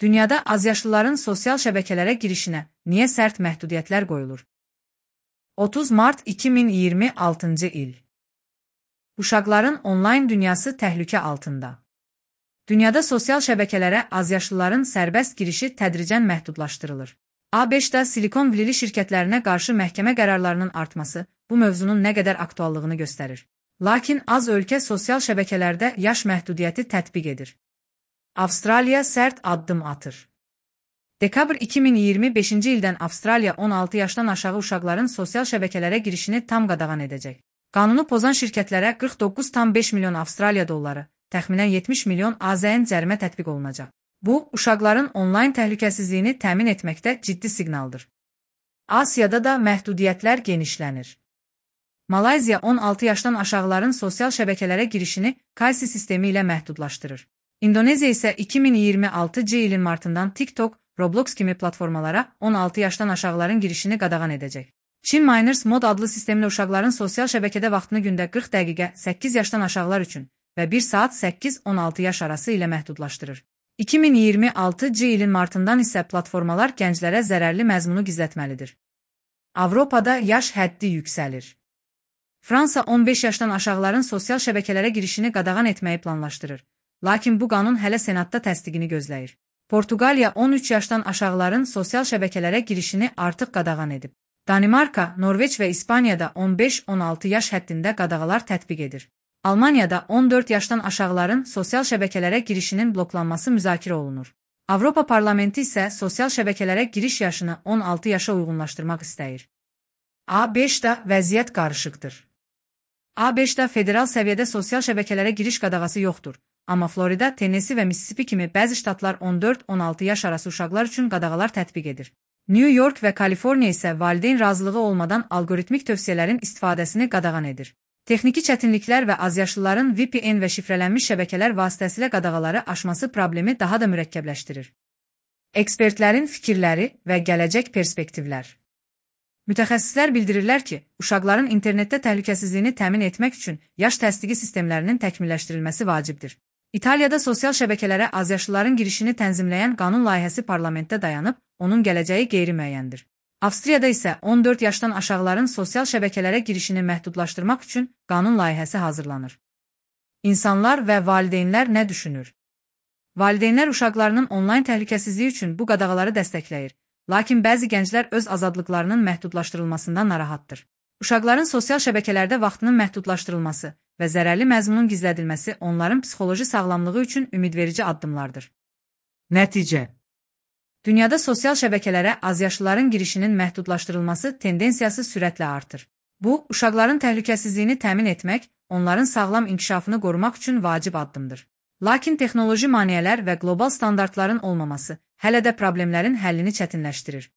Dünyada azyaşlıların sosial şəbəkələrə girişinə niyə sərt məhdudiyyətlər qoyulur? 30 mart 2026-cı il. Uşaqların onlayn dünyası təhlükə altında. Dünyada sosial şəbəkələrə azyaşlıların sərbəst girişi tədricən məhdudlaşdırılır. ABŞ-da Silikon Valley şirkətlərinə qarşı məhkəmə qərarlarının artması bu mövzunun nə qədər aktuallığını göstərir. Lakin az ölkə sosial şəbəkələrdə yaş məhdudiyyəti tətbiq edir. Avstraliya sərt addım atır. Dekabr 2025-ci ildən Avstraliya 16 yaşdan aşağı uşaqların sosial şəbəkələrə girişini tam qadağan edəcək. Qanunu pozan şirkətlərə 49,5 milyon Avstraliya dolları, təxminən 70 milyon AZN cərimə tətbiq olunacaq. Bu, uşaqların onlayn təhlükəsizliyini təmin etməkdə ciddi siqnaldır. Asiyada da məhdudiyyətlər genişlənir. Malayziya 16 yaşdan aşağıların sosial şəbəkələrə girişini KYC sistemi ilə məhdudlaşdırır. İndoneziya isə 2026-cı ilin martından TikTok, Roblox kimi platformalara 16 yaşdan aşağıların girişini qadağan edəcək. Çin Miners Mod adlı sistemlə uşaqların sosial şəbəkədə vaxtını gündə 40 dəqiqə 8 yaşdan aşağılar üçün və 1 saat 8-16 yaş arası ilə məhdudlaşdırır. 2026-cı ilin martından isə platformalar gənclərə zərərli məzmunu gizlətməlidir. Avropada yaş həddi yüksəlir. Fransa 15 yaşdan aşağıların sosial şəbəkələrə girişini qadağan etməyi planlaşdırır. Lakin bu qanun hələ Senatda təsdiqini gözləyir. Portuqaliya 13 yaşdan aşağıların sosial şəbəkələrə girişini artıq qadağan edib. Danimarka, Norveç və İspaniyada 15-16 yaş həddində qadağalar tətbiq edir. Almaniyada 14 yaşdan aşağıların sosial şəbəkələrə girişinin bloklanması müzakirə olunur. Avropa Parlamenti isə sosial şəbəkələrə giriş yaşını 16 yaşa uyğunlaşdırmaq istəyir. ABŞ-da vəziyyət qarışıqdır. ABŞ-da federal səviyyədə sosial şəbəkələrə giriş qadağası yoxdur. Amma Florida, Tennessee və Mississippi kimi bəzi ştatlar 14-16 yaş arası uşaqlar üçün qadağalar tətbiq edir. New York və Kaliforniya isə valideyn razılığı olmadan alqoritmik tövsiyələrin istifadəsini qadağan edir. Texniki çətinliklər və azyaşlıların VPN və şifrələnmiş şəbəkələr vasitəsilə qadağaları aşması problemi daha da mürəkkəbləşdirir. Ekspertlərin fikirləri və gələcək perspektivlər. Mütəxəssislər bildirirlər ki, uşaqların internetdə təhlükəsizliyini təmin etmək üçün yaş təsdiqi sistemlərinin təkmilləşdirilməsi vacibdir. İtaliyada sosial şəbəkələrə azyaşlıların girişini tənzimləyən qanun layihəsi parlamentdə dayanıb, onun gələcəyi qeyri-müəyyəndir. Avstriyada isə 14 yaşdan aşağıların sosial şəbəkələrə girişini məhdudlaşdırmaq üçün qanun layihəsi hazırlanır. İnsanlar və valideynlər nə düşünür? Valideynlər uşaqlarının onlayn təhlükəsizliyi üçün bu qadağaları dəstəkləyir. Lakin bəzi gənclər öz azadlıqlarının məhdudlaşdırılmasından narahatdır. Uşaqların sosial şəbəkələrdə vaxtının məhdudlaşdırılması və zərərli məzmunun gizlədilməsi onların psixoloji sağlamlığı üçün ümidverici addımlardır. Nəticə: dünyada sosial şəbəkələrə azyaşlıların girişinin məhdudlaşdırılması tendensiyası sürətlə artır. Bu, uşaqların təhlükəsizliyini təmin etmək, onların sağlam inkişafını qorumaq üçün vacib addımdır. Lakin texnoloji maneələr və qlobal standartların olmaması hələ də problemlərin həllini çətinləşdirir.